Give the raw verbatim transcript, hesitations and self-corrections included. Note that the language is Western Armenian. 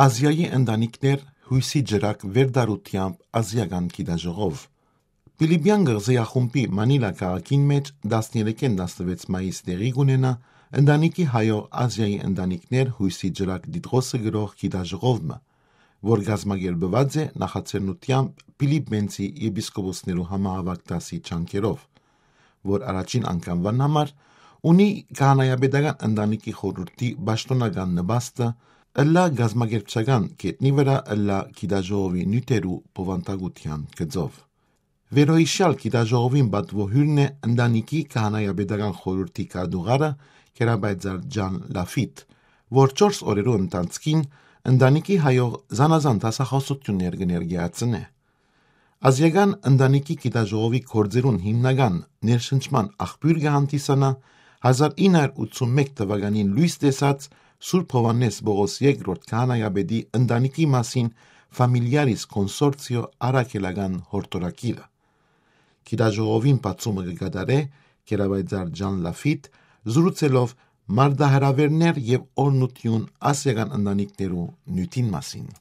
Ազիայի ընտանիքներ յոյսի ճրագ վերդառութեամբ ազիական գիտաժողով։ Պիլիպեան կղզեախումբի Մանիլա քաղաքին մէջ տասներեքէն տասնեւեց մայիս տեղի կունենայ ընտանիքի հայող Ազիայի ընտանիքներ յոյսի ճրագ դիտղոսը գրող գիտաժողով մը, որ կազմակերպուած է նախաձեռնութեամբ Պիլիպենցի եպիսկոպոսներու համահաւաք դասի ջանքերով, որ առաջին անգամուան համար ունի քահանայապետական ընտանիքի խորհուրդի պաշտօնական նպաստը, ըլլայ կազմակերպչական գետնի վրայ, ըլլայ գիտաժողովի նիւթերու բովանդակութեան գծով։ Վերոյիշեալ գիտաժողովին պատուոյ հիւրն է ընտանիքի քահանայապետական խորհուրդի քարտուղարը Կերապայծար Ջան Լաֆիտ, որ չորս օրերու ընթացքին ընտանիքի հայող զանազան դասախոսութիւններ կը ներկայացնէ։ Ազիական ընտանիքի գիտաժողովի գործերուն հիմնական ներշնչման աղբիւր կը հանդիսանայ հազար ինը հարիւր ութսունմէկ թուականին լոյս տեսած Սուրբ Յովհաննէս Պողոս երկրորդ քահանայապետի ընտանիքի մասին Familiaris Consortio առաքելական յորդորագիրը։ Գիտաժողովին բացումը կը կատարէ Կերապայծար Ջան Լաֆիտ, զրուցելով մարտահրաւէրներ եւ օրհնութիւն ազիական ընտանիքներու նիւթին մասին։